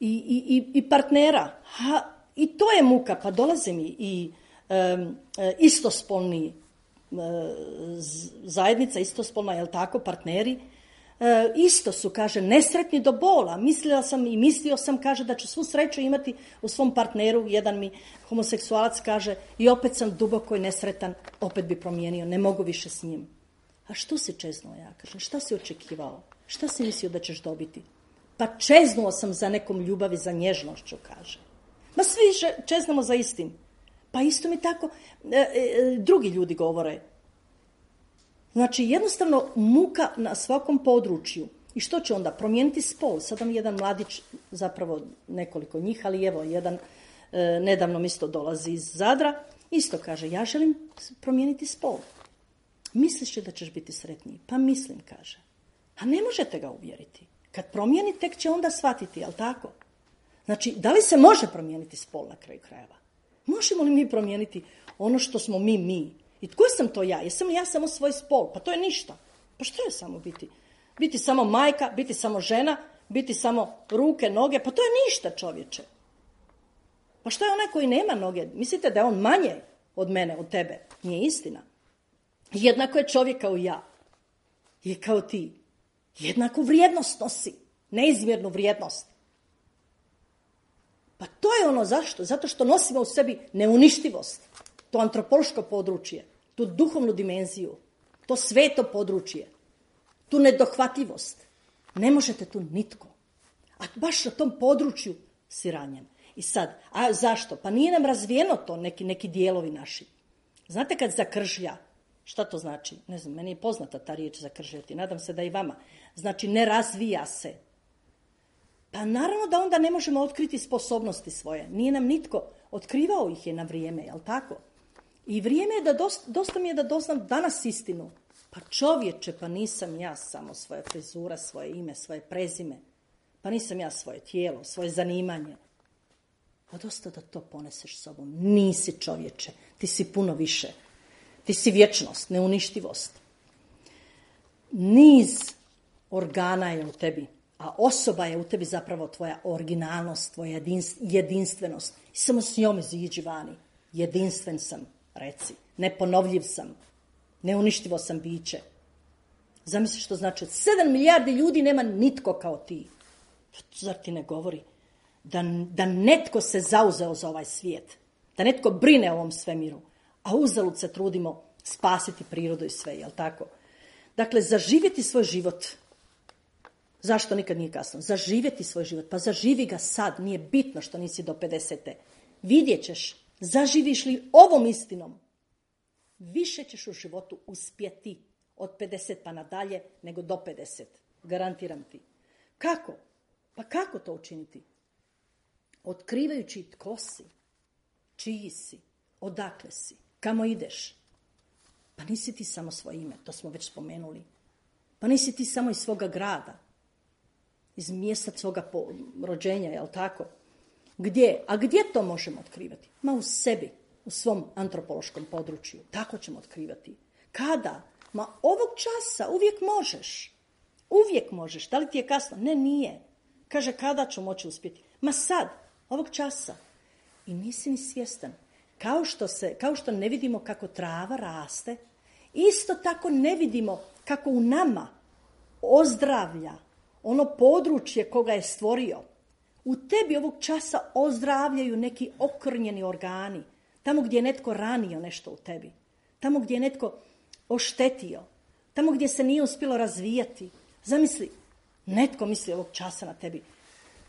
i, i, i partnera. Ha, i to je muka, pa dolaze mi i um, istospolni uh, zajednica, istospolna, jel tako, partneri, uh, isto su, kaže, nesretni do bola. Mislila sam i mislio sam, kaže, da ću svu sreću imati u svom partneru. Jedan mi homoseksualac kaže, i opet sam duboko i nesretan, opet bi promijenio, ne mogu više s njim. A što si čeznuo, ja kažem? Šta si očekivao? Šta si mislio da ćeš dobiti? Pa čeznuo sam za nekom ljubavi, za nježnošću, kaže. Ma svi čeznemo za istim. Pa isto mi tako e, e, drugi ljudi govore. Znači, jednostavno muka na svakom području. I što će onda? Promijeniti spol. Sada mi jedan mladić, zapravo nekoliko njih, ali evo, jedan e, nedavno mi isto dolazi iz Zadra, isto kaže, ja želim promijeniti spol. Misliš li da ćeš biti sretniji? Pa mislim, kaže. A ne možete ga uvjeriti. Kad promijeni, tek će onda shvatiti, jel tako? Znači, da li se može promijeniti spol na kraju krajeva? Možemo li mi promijeniti ono što smo mi, mi? I tko sam to ja? Jesam li ja samo svoj spol? Pa to je ništa. Pa što je samo biti? Biti samo majka, biti samo žena, biti samo ruke, noge? Pa to je ništa, čovječe. Pa što je onaj koji nema noge? Mislite da je on manje od mene, od tebe? Nije istina. Jednako je čovjek kao ja. Je kao ti. Jednako vrijednost nosi. Neizmjernu vrijednost. Pa to je ono zašto? Zato što nosimo u sebi neuništivost. To antropološko područje. Tu duhovnu dimenziju. To sveto područje. Tu nedohvatljivost. Ne možete tu nitko. A baš na tom području si ranjen. I sad, a zašto? Pa nije nam razvijeno to, neki, neki dijelovi naši. Znate kad zakržlja? Šta to znači? Ne znam, meni je poznata ta riječ zakržljati. Nadam se da i vama. Znači, ne razvija se. Pa naravno da onda ne možemo otkriti sposobnosti svoje. Nije nam nitko otkrivao ih je na vrijeme, jel tako? I vrijeme je da dosta, dosta mi je da doznam danas istinu. Pa čovječe, pa nisam ja samo svoja frizura, svoje ime, svoje prezime. Pa nisam ja svoje tijelo, svoje zanimanje. Pa dosta da to poneseš sobom. Nisi čovječe, ti si puno više. Ti si vječnost, neuništivost. Niz organa je u tebi, a osoba je u tebi zapravo tvoja originalnost, tvoja jedinstvenost. I samo s njome iziđi vani. Jedinstven sam, reci. Neponovljiv sam. Neuništivo sam biće. Zamisli što znači, sedam milijardi ljudi nema nitko kao ti. Zar ti ne govori da, da netko se zauzeo za ovaj svijet? Da netko brine o ovom svemiru? A uzalud se trudimo spasiti prirodu i sve, jel tako? Dakle, zaživjeti svoj život. Zašto nikad nije kasno? Zaživjeti svoj život. Pa zaživi ga sad. Nije bitno što nisi do pedesete. Vidjet ćeš. Zaživiš li ovom istinom? Više ćeš u životu uspjeti od pedeset pa nadalje nego do pedeset. Garantiram ti. Kako? Pa kako to učiniti? Otkrivajući tko si, čiji si, odakle si, Kamo ideš? Pa nisi ti samo svoje ime, to smo već spomenuli. Pa nisi ti samo iz svoga grada, iz mjesta svoga rođenja, jel tako? Gdje? A gdje to možemo otkrivati? Ma u sebi, u svom antropološkom području. Tako ćemo otkrivati. Kada? Ma ovog časa uvijek možeš. Uvijek možeš. Da li ti je kasno? Ne, nije. Kaže, kada ću moći uspjeti? Ma sad, ovog časa. I nisi ni svjestan. Kao što, se, kao što ne vidimo kako trava raste, isto tako ne vidimo kako u nama ozdravlja ono područje koga je stvorio. U tebi ovog časa ozdravljaju neki okrnjeni organi. Tamo gdje je netko ranio nešto u tebi. Tamo gdje je netko oštetio. Tamo gdje se nije uspjelo razvijati. Zamisli, netko misli ovog časa na tebi.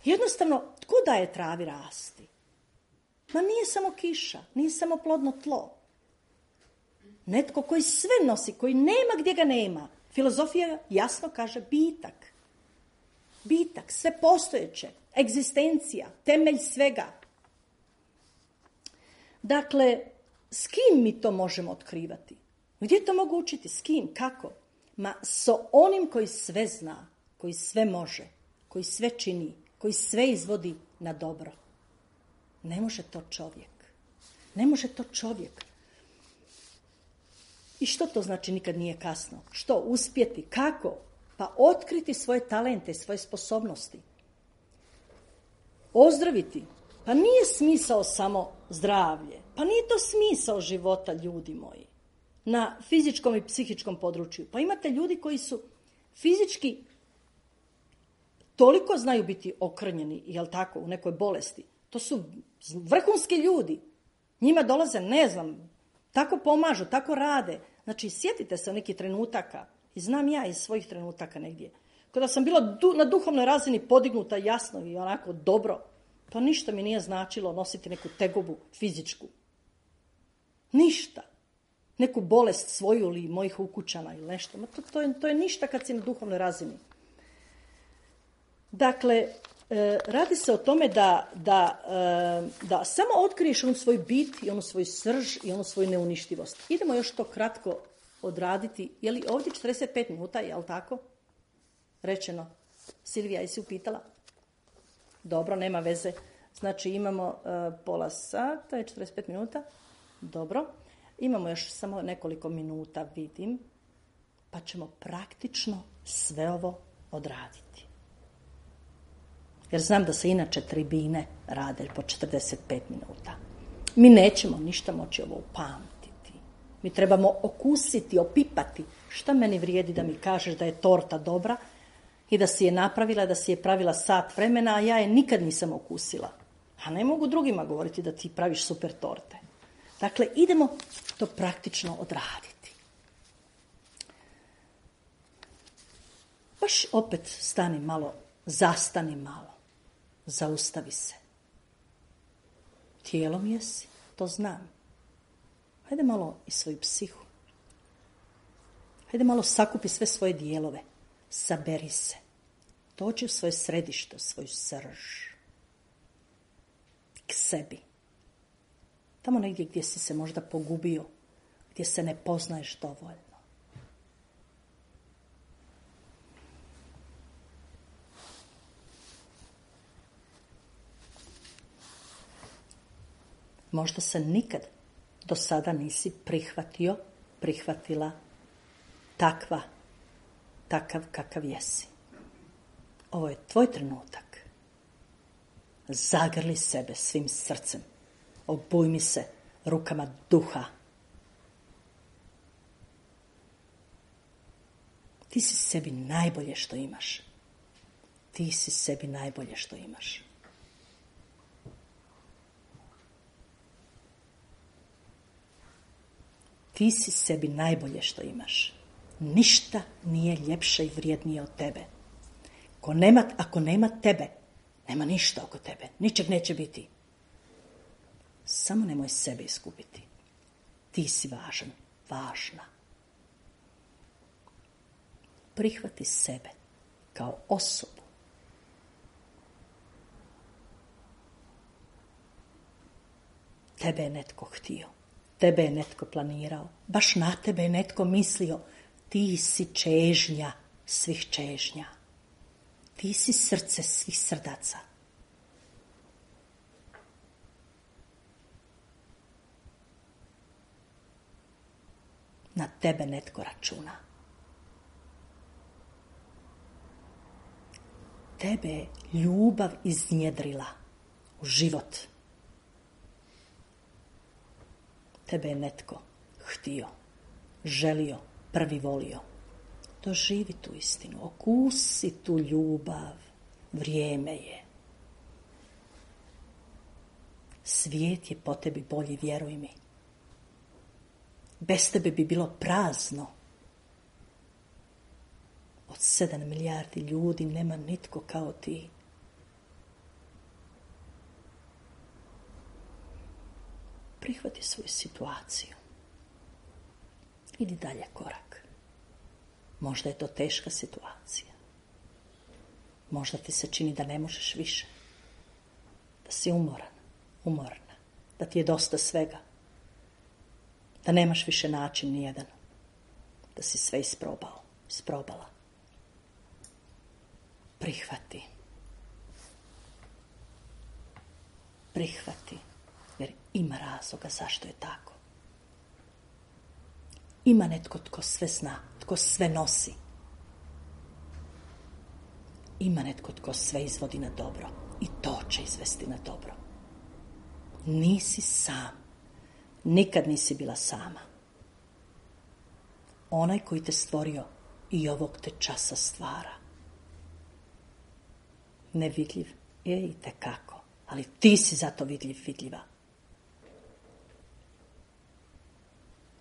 Jednostavno, tko daje travi rasti? Ma nije samo kiša, nije samo plodno tlo. Netko koji sve nosi, koji nema gdje ga nema. Filozofija jasno kaže bitak. Bitak, sve postojeće, egzistencija, temelj svega. Dakle, s kim mi to možemo otkrivati? Gdje to mogu učiti? S kim? Kako? Ma s onim koji sve zna, koji sve može, koji sve čini, koji sve izvodi na dobro. Ne može to čovjek. Ne može to čovjek. I što to znači nikad nije kasno? Što? Uspjeti? Kako? Pa otkriti svoje talente, svoje sposobnosti. Ozdraviti. Pa nije smisao samo zdravlje. Pa nije to smisao života, ljudi moji. Na fizičkom i psihičkom području. Pa imate ljudi koji su fizički toliko znaju biti okrnjeni, jel tako, u nekoj bolesti. To su vrhunski ljudi. Njima dolaze, ne znam, tako pomažu, tako rade. Znači, sjetite se nekih trenutaka. I znam ja iz svojih trenutaka negdje. Kada sam bila du, na duhovnoj razini podignuta jasno i onako dobro, pa ništa mi nije značilo nositi neku tegobu fizičku. Ništa. Neku bolest svoju ili mojih ukućana ili nešto. Ma to, to, je, to je ništa kad si na duhovnoj razini. Dakle, e, radi se o tome da, da, e, da samo otkriješ onu svoj bit i onu svoju srž i onu svoju neuništivost. Idemo još to kratko odraditi. Je li ovdje četrdeset pet minuta, je li tako? Rečeno. Silvija, jesi upitala? Dobro, nema veze. Znači imamo uh, pola sata, je četrdeset pet minuta. Dobro. Imamo još samo nekoliko minuta, vidim. Pa ćemo praktično sve ovo odraditi. Jer znam da se inače tribine rade po četrdeset pet minuta. Mi nećemo ništa moći ovo upamtiti. Mi trebamo okusiti, opipati. Šta meni vrijedi da mi kažeš da je torta dobra i da si je napravila, da si je pravila sat vremena, a ja je nikad nisam okusila. A ne mogu drugima govoriti da ti praviš super torte. Dakle, idemo to praktično odraditi. Baš opet stani malo, zastani malo, zaustavi se. Tijelom jesi, to znam. Hajde malo i svoju psihu. Hajde malo sakupi sve svoje dijelove. Saberi se. Dođi u svoje središte, u svoju srž. K sebi. Tamo negdje gdje si se možda pogubio, gdje se ne poznaješ dovoljno. Možda se nikad do sada nisi prihvatio, prihvatila takva, takav kakav jesi. Ovo je tvoj trenutak. Zagrli sebe svim srcem. Obujmi se rukama duha. Ti si sebi najbolje što imaš. Ti si sebi najbolje što imaš. Ti si sebi najbolje što imaš. Ništa nije ljepše i vrijednije od tebe. Ako nema, ako nema tebe, nema ništa oko tebe. Ničeg neće biti. Samo nemoj sebe iskupiti. Ti si važan, važna. Prihvati sebe kao osobu. Tebe je netko htio. tebe je netko planirao, baš na tebe je netko mislio. Ti si čežnja svih čežnja. Ti si srce svih srdaca. Na tebe netko računa. Tebe je ljubav iznjedrila u život. Tebe je netko htio, želio, prvi volio. Doživi tu istinu, okusi tu ljubav. Vrijeme je. Svijet je po tebi bolji, vjeruj mi. Bez tebe bi bilo prazno. Od sedam milijardi ljudi nema nitko kao ti. Prihvati svoju situaciju. Idi dalje korak. Možda je to teška situacija. Možda ti se čini da ne možeš više. Da si umoran, umorna. Da ti je dosta svega. Da nemaš više način nijedan. Da si sve isprobao, isprobala. Prihvati. Prihvati. Jer ima razloga zašto je tako. Ima netko tko sve zna, tko sve nosi. Ima netko tko sve izvodi na dobro. I to će izvesti na dobro. Nisi sam. Nikad nisi bila sama. Onaj koji te stvorio i ovog te časa stvara. Nevidljiv je i tekako, ali ti si zato vidljiv, vidljiva.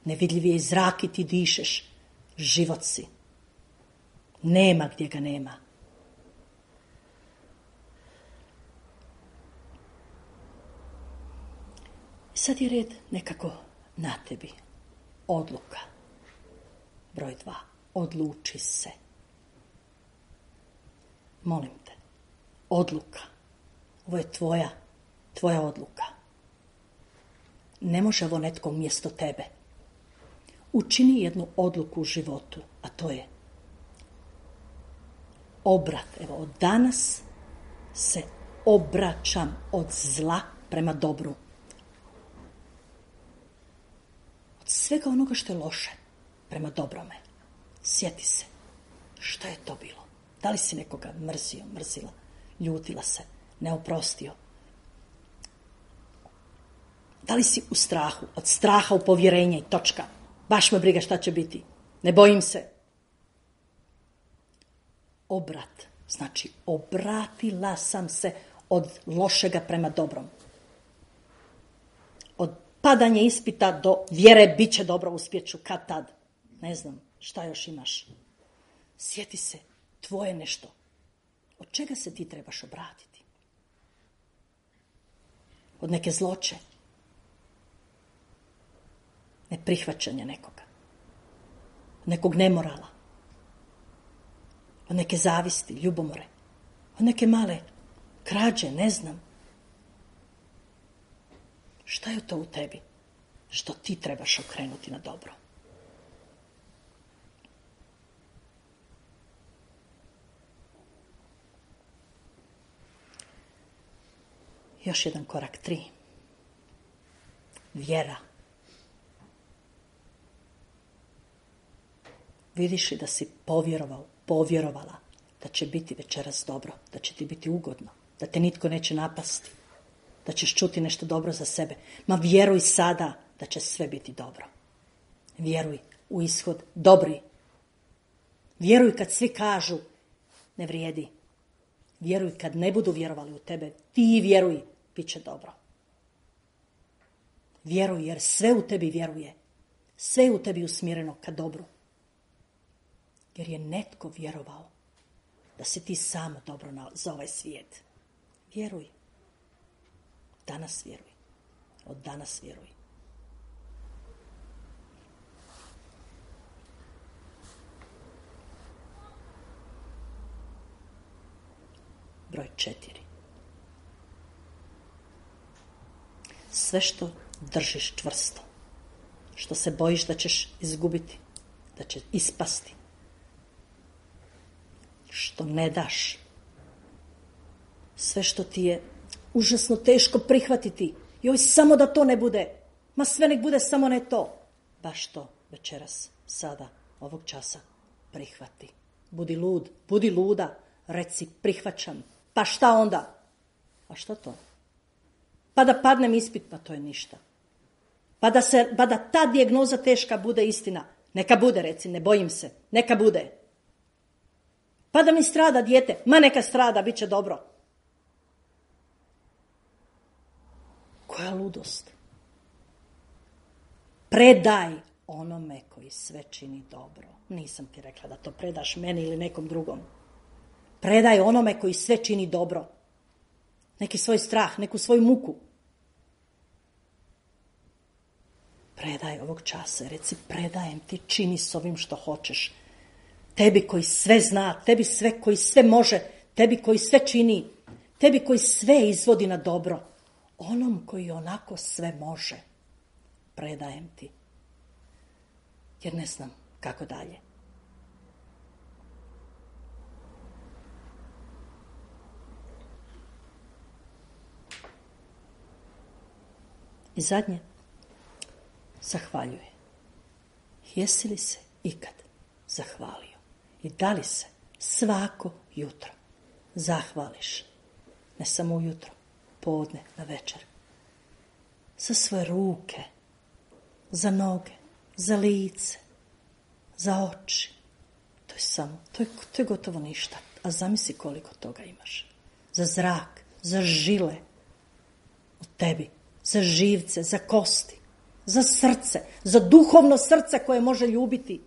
Nevidljiv je i zrak i ti dišeš. Život si. Nema gdje ga nema. Sad je red nekako na tebi. Odluka. Broj dva. Odluči se. Molim te. Odluka. Ovo je tvoja, tvoja odluka. Ne može ovo netko umjesto tebe. Učini jednu odluku u životu, a to je obrat. Evo, od danas se obraćam od zla prema dobru. Od svega onoga što je loše prema dobrome. Sjeti se. Što je to bilo? Da li si nekoga mrzio, mrzila, ljutila se, neoprostio? Da li si u strahu? Od straha u povjerenje i točka. Baš me briga šta će biti. Ne bojim se. Obrat. Znači, obratila sam se od lošega prema dobrom. Od padanja ispita do vjere bit će dobro, uspjeću kad tad. Ne znam šta još imaš. Sjeti se, tvoje nešto. Od čega se ti trebaš obratiti? Od neke zloće. Neprihvaćanja nekoga. Od nekog nemorala. Od neke zavisti, ljubomore. Od neke male krađe, ne znam. Šta je to u tebi što ti trebaš okrenuti na dobro? Još jedan korak, tri. Vjera. Vidiš li da si povjerovao, povjerovala da će biti večeras dobro, da će ti biti ugodno, da te nitko neće napasti, da ćeš čuti nešto dobro za sebe. Ma vjeruj sada da će sve biti dobro. Vjeruj u ishod dobri. Vjeruj kad svi kažu ne vrijedi. Vjeruj kad ne budu vjerovali u tebe. Ti vjeruj, bit će dobro. Vjeruj jer sve u tebi vjeruje. Sve je u tebi usmjereno ka dobru. Jer je netko vjerovao da si ti samo dobro na, za ovaj svijet. Vjeruj. Danas vjeruj. Od danas vjeruj. Broj četiri. Sve što držiš čvrsto, što se bojiš da ćeš izgubiti, da će ispasti, što ne daš, sve što ti je užasno teško prihvatiti. Joj, samo da to ne bude. Ma sve nek bude, samo ne to. Baš to večeras, sada, ovog časa prihvati. Budi lud, budi luda, reci prihvaćam. Pa šta onda? A šta to? Pa da padnem ispit, pa to je ništa. Pa da, se, pa da ta dijagnoza teška bude istina. Neka bude, reci, ne bojim se. Neka bude. Pa da mi strada dijete. Ma neka strada, bit će dobro. Koja ludost. Predaj onome koji sve čini dobro. Nisam ti rekla da to predaš meni ili nekom drugom. Predaj onome koji sve čini dobro. Neki svoj strah, neku svoju muku. Predaj ovog časa, reci predajem ti, čini s ovim što hoćeš. Tebi koji sve zna, tebi sve koji sve može, tebi koji sve čini, tebi koji sve izvodi na dobro. Onom koji onako sve može, predajem ti. Jer ne znam kako dalje. I zadnje, zahvaljuje. Jesi li se ikad zahvalio? I da li se svako jutro zahvališ? Ne samo ujutro, podne, na večer. Za svoje ruke, za noge, za lice, za oči. To je samo, to je, to je gotovo ništa. A zamisli koliko toga imaš. Za zrak, za žile u tebi, za živce, za kosti, za srce, za duhovno srce koje može ljubiti,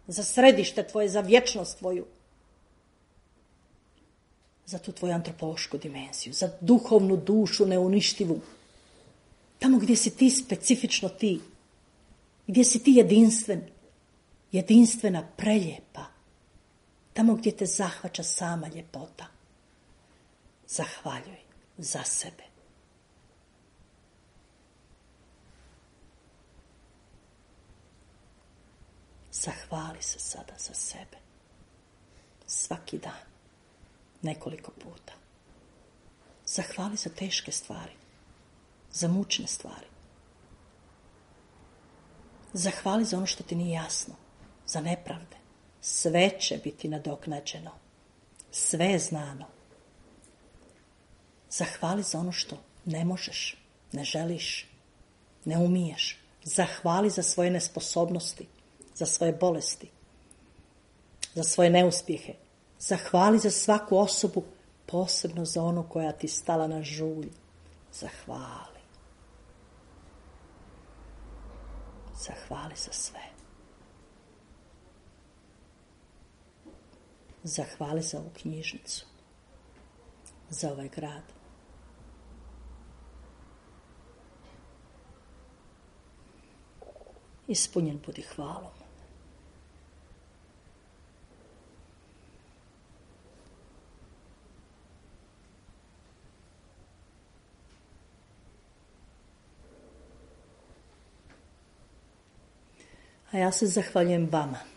za središte tvoje, za vječnost tvoju, za tu tvoju antropološku dimenziju, za duhovnu dušu neuništivu. Tamo gdje si ti specifično ti, gdje si ti jedinstven, jedinstvena, preljepa, tamo gdje te zahvaća sama ljepota. Zahvaljuj za sebe. Zahvali se sada za sebe. Svaki dan. Nekoliko puta. Zahvali za teške stvari. Za mučne stvari. Zahvali za ono što ti nije jasno. Za nepravde. Sve će biti nadoknađeno. Sve je znano. Zahvali za ono što ne možeš, ne želiš, ne umiješ. Zahvali za svoje nesposobnosti, za svoje bolesti, za svoje neuspjehe. Zahvali za svaku osobu, posebno za onu koja ti stala na žulj. Zahvali. Zahvali za sve. Zahvali za ovu knjižnicu, za ovaj grad. Ispunjen budi hvalom. A ja se zahvaljujem vama